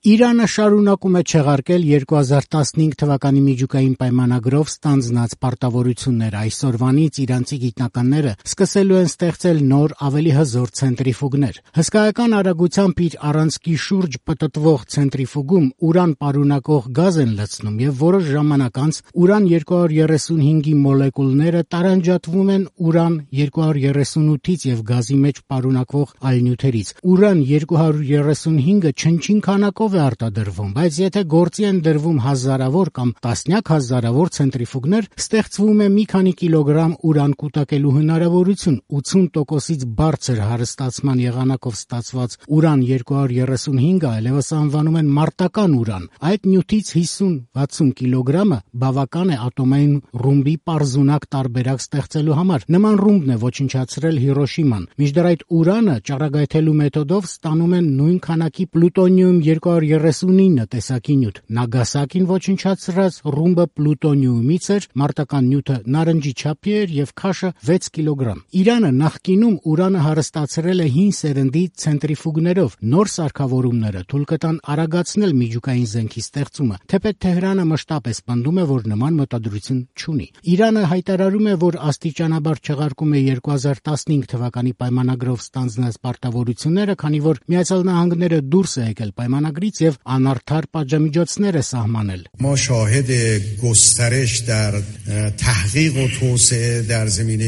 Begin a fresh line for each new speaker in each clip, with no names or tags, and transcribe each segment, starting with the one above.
Իրանը շարունակում է չեղարկել 2015 թվականի միջուկային պայմանագրով ստանձնած պարտավորությունները։ Այսօրվանից իրանցի գիտնականները սկսելու են ստեղծել նոր, ավելի հզոր ցենտրիֆուգներ։ Հսկայական արագությամբ իր առանցքի շուրջ պտտվող ցենտրիֆուգում ուրան պարունակող գազ են լցնում եւ որոշ ժամանակ անց ուրան 235-ի մոլեկուլները տարանջատվում են ուրան 238-ից եւ գազի մեջ պարունակվող այլ նյութերից։ Ուրան 235-ը չնչին քանակով է արտադրվում, բայց եթե գործի են դրվում հազարավոր կամ տասնյակ հազարավոր ցենտրիֆուգներ, ստեղծվում է մի քանի կիլոգրամ ուրան կուտակելու հնարավորություն։ 80%-ից բարձր հարստացման եղանակով ստացված ուրան 235-ը այլևս անվանում են մարտական ուրան։ Այդ նյութից 50-60 կիլոգրամը բավական է ատոմային ռումբի պարզունակ տարբերակ ստեղծելու համար։ Նման ռումբն է ոչնչացրել Հիրոշիման։ Մինչդեռ այդ ուրանը ճառագայթելու մեթոդով ստանում են նույն քանակի պլուտոնիում 239 տեսակի նյութ։ Նագասակին ոչնչացրած ռումբը պլուտոնիումից էր, մարտական նյութը նարնջի չափի էր եւ քաշը 6 կիլոգրամ։ Իրանը նախկինում ուրանը հարստացրել է հին սերնդի ցենտրիֆուգներով։ Նոր սարքավորումները թույլ կտան արագացնել միջուկային զենքի ստեղծումը, թեպետ Թեհրանը մշտապես պնդում է, որ նման մտադրություն չունի։ Իրանը հայտարարում է, որ աստիճանաբար չեղարկում է 2015 թվականի պայմանագրով ստանձնած պարտավորությունները, քանի որ Միացյալ Նահանգները դուրս է եկել պայմանագրից եւ անարդար պատժամիջոցներ է սահմանել։
ما شاهد گسترش در تحقیق و توسعه در زمینه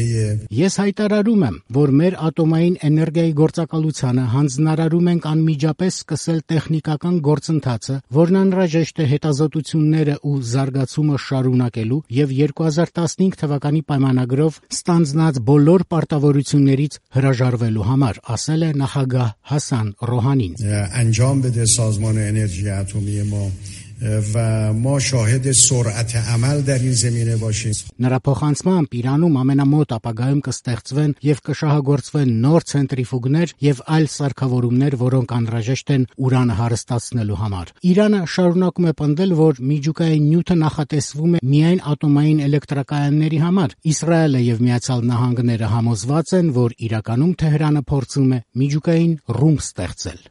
Ես հայտարարում եմ, որ մեր ատոմային էներգիայի գործակալությանը հանձնարարում ենք անմիջապես սկսել տեխնիկական գործընթացը, որն անհրաժեշտ է հետազոտությունները ու զարգացումը շարունակելու եւ 2015 թվականի պայմանագրով ստանձնած բոլոր պարտավորություններից հրաժարվելու համար, ասել է նախագահ Հասան Ռոհանին։
انجام بده سازمان انرژی اتمی ما و ما شاهد سرعت عمل در این زمینه باشیم.
Նրա փոխանցմամբ Իրանում ամենամոտ ապագայում կստեղծվեն եւ կշահագործվեն նոր ցենտրիֆուգներ եւ այլ սարքավորումներ, որոնք անհրաժեշտ են ուրանը հարստացնելու համար։ Իրանը շարունակում է պնդել, որ միջուկային նյութը նախատեսվում է միայն ատոմային էլեկտրակայանների համար։ Իսրայելը եւ Միացյալ Նահանգները համոզված են, որ իրականում Թեհրանը փորձում է միջուկային ռումբ ստեղծել։